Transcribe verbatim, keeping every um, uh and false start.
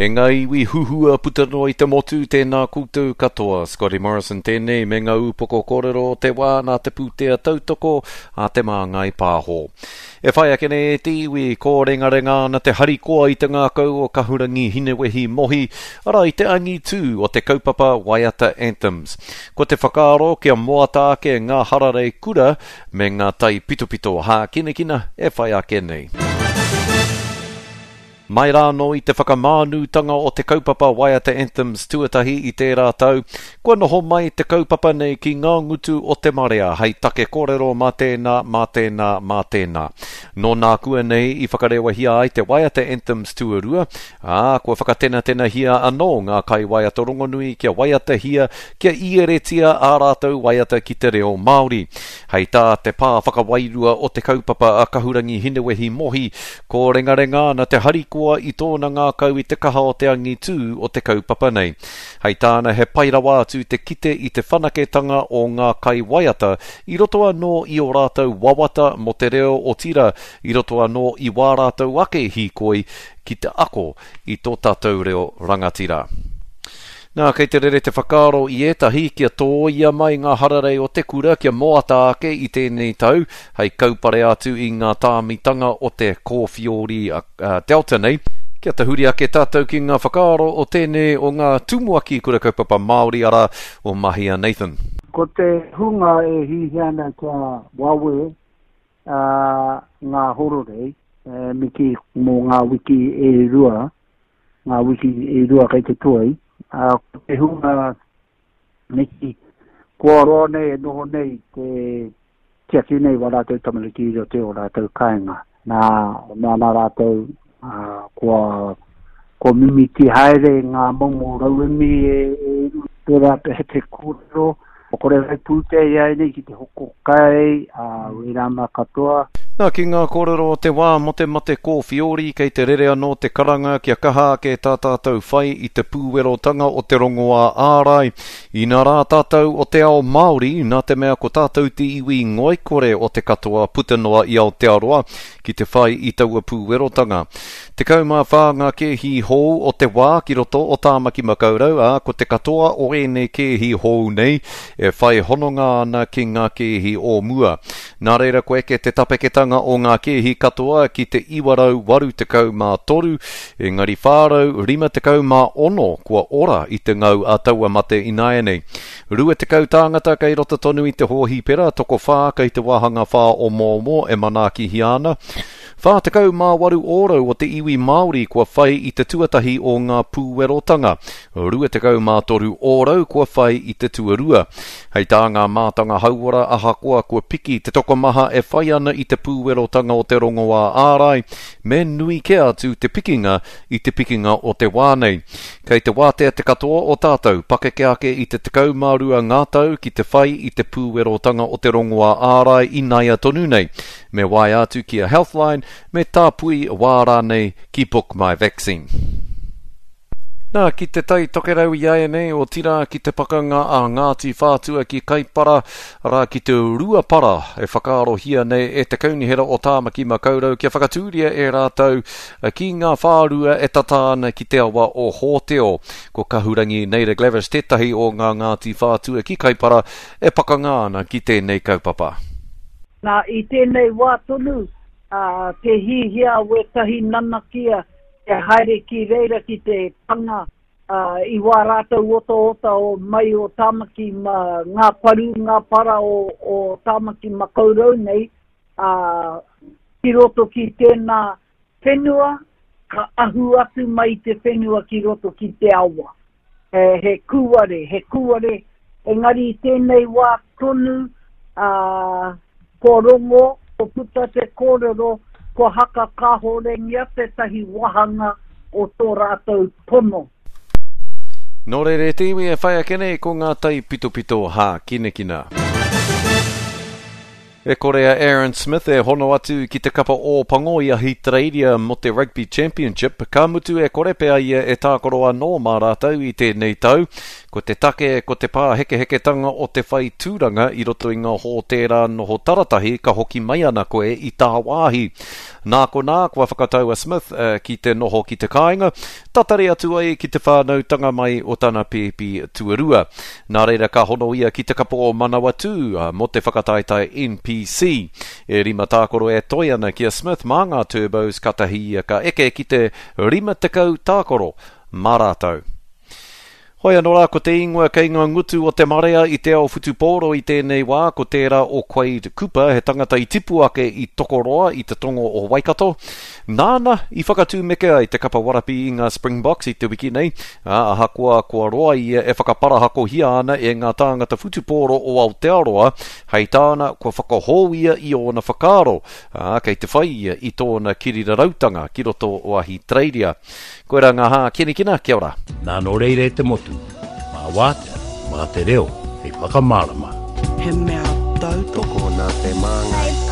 E ngā iwi huhua puta noa i te motu, tēnā koutou katoa. Scotty Morrison tēnei me ngā upoko kōrero o te wā nā te pūtea tautoko a Te Māngai Pāho. E whai ake nei e te iwi, kōrengarenga ana te harikoa i te ngākau o Kahurangi Hinewehi Mohi, arā i te angitū o te kaupapa Waiata Anthems. Ko te whakaaro kia moata ake ngā hararei kura me ngā taipitopito hākinakina e whai ake nei. Mai rānō i te whakamānutanga o te kaupapa Waiata Anthems tuatahi i tērā tau, kua noho mai te kaupapa nei ki ngā ngutu o te marea hei take kōrero mā tēnā, mā tēnā, mā tēnā. Nō nākua nei i whakarewahia ai te Waiata Anthems tuarua, ā, kua whakatenatenahia anō ngā kaiwaiata rongonui kia waiatahia, kia ieretia ā rātou waiata ki te reo Māori. Hei tā te pā whakawairua o te kaupapa a Kahurangi Hinewehi Mohi, kōrengarenga ana te harikoa i tōna ngākau i te kaha o te angitū o te kaupapa nei. Hei tāna he pai rawa atu te kite i te whanaketanga o ngā kaiwaiata i roto anō i o rātou wawata mō te reo otirā, i roto anō i wā rātou ake hīkoi ki te ako i tō tātou reo rangatira. Nā, kei te rere te whakaaro i ētahi kia tōia mai ngā hararei o te kura kia moata ake i tēnei tau, hei kaupare atu i ngā tāmitanga o te kōwhiori uh, Delta nei. Kia tahuri ake tātou ki ngā whakaaro o tēnei o ngā tumuaki kura kaupapa Māori arā o Mahia Nathan. Ko te hunga e hihia ana kia wawe uh, ngā hororei, e, miki mō ngā wiki e rua, ngā wiki e rua kei te toi, uh, ko te hunga miki kua roa nei e noho nei te tiaki nei wa rātou tamariki i roto o rātou kāinga. Nā, nā nā rātou uh, kua, kua mimiti haere ngā momo rauemi e, e pērā pe te kōrero. Kore rai pūtea i ai nei ki te hoko kai, uh, wērā mā katoa. Nā, ki ngā kōrero o te wā mō te mate kōwhiori, kei te rere anō te karanga kia kaha ake tā tātou whai i te pūwerotanga o te rongoā ārai. Inā rā tātou o te ao Māori, nā te mea ko tātou te iwi ngoikore o te katoa puta noa i Aotearoa ki te whai i taua pūwerotanga. Tekau mā whā ngā kēhi hou o te wā ki roto o Tāmaki Makaurau, ā, ko te katoa o ēnei kēhi hou nei e whai hononga ana ki ngā kēhi o mua. Nā reira ko eke te tapeketanga o ngā kēhi katoa ki te iwa rau waru tekau mā toru, engari whā rau rima tekau mā ono kua ora i te ngau a taua mate ināianei. Rua tekau tāngata kei roto tonu i te hōhipera, tokowhā kei te wāhanga whā o Mōmō e manaakihia ana. Whā tekau mā waru ōrau o te iwi Māori kua whai i te tuatahi o ngā pūwerotanga. Rua tekau mā toru ōrau kua whai i te tuarua. Hei tā ngā mātanga hauora ahakoa kua piki te tokomaha e whai ana i te pūwerotanga o te rongoā ārai, me nui kē atu te pikinga i te pikinga o te wā nei. Kei te wātea te katoa o tātou, pakeke ake i te tekau mā rua ngā tau ki te whai i te pūwerotanga o te rongoā ārai inaia tonu nei. Me waea atu ki a Healthline, me tāpui wā rānei ki Book My Vaccine. Nā, ki te tai tokerau i āianei, otirā ki te pakanga a Ngāti Whātua ki Kaipara, arā ki te Ruapara e whakaarohia nei e te Kaunihera o Tāmaki Makaurau kia whakatūria e rātou ki ngā whārua e tata ana ki te awa o Hōteo. Ko Kahurangi Naida Glavish tētahi o ngā Ngāti Whātua ki Kaipara e pakanga ana ki tēnei kaupapa. Nā, i tēnei wā tonu, uh, te hihia wētahi nanakia e haere ki reira ki te panga uh, i wā rātou otaota o mai o Tāmaki ma, ngā paru, ngā para o, o Tāmaki Makaurau nei, uh, ki roto ki tēnā whenua, ka ahu atu mai te whenua ki roto ki te awa. E, he kūare, he kūare, engari i tēnei wā tonu, uh, ko rongo, ko puta te kōrero, ko haka kāhorengia tētahi wāhanga o tō rātou tono. Nō reira e te iwi e whai ake nei ko ngā taipitopito hākinakina. E kore a Aaron Smith e hono atu ki te kapa Ōpango i Ahitereiria mō te Rugby Championship, ka mutu e kore pea ia e tākaro anō mā rātou i tēnei tau. Ko te take, ko te pāhekeheketanga o te whai tūranga i roto i ngā hōtēra noho taratahi ka hoki mai ana koe i tāwāhi. Nā konā, kua whakatau a Smith ki te noho ki te kāinga, tatari atu ai ki te whānautanga mai o tana pēpi tuarua. Nā reira ka hono ia ki te kapa o Manawatū mō te whakataetae N P C. E rima tākoro e toe ana ki a Smith mā ngā Turbos katahi ia ka eke ki te rima tekau tākoro mā rātou. Hoi anō rā, ko te ingoa kei ngā ngutu o te marea i te ao whutupōro i tēnei wā, ko tērā o Quade Cooper, he tangata i tipu ake i Tokoroa i te tongo o Waikato. Nāna i whakatūmeke ai te kapa warapi i ngā Springboks i te wiki nei, ā, ahakoa kua roa ia e whakaparahakohia ana e ngā tāngata whutupōro o Aotearoa, hei tāna kua whakahou ia i ōna whakaaro, ā, kei te whai ia i tōna kirirarautanga ki roto o Ahitereiria. Koirā ngā hākinakina, kia ora. Nā nō reira e te motu, mā wātea, mā te reo, hei whakamārama. He mea tautoko Tokona te māngai.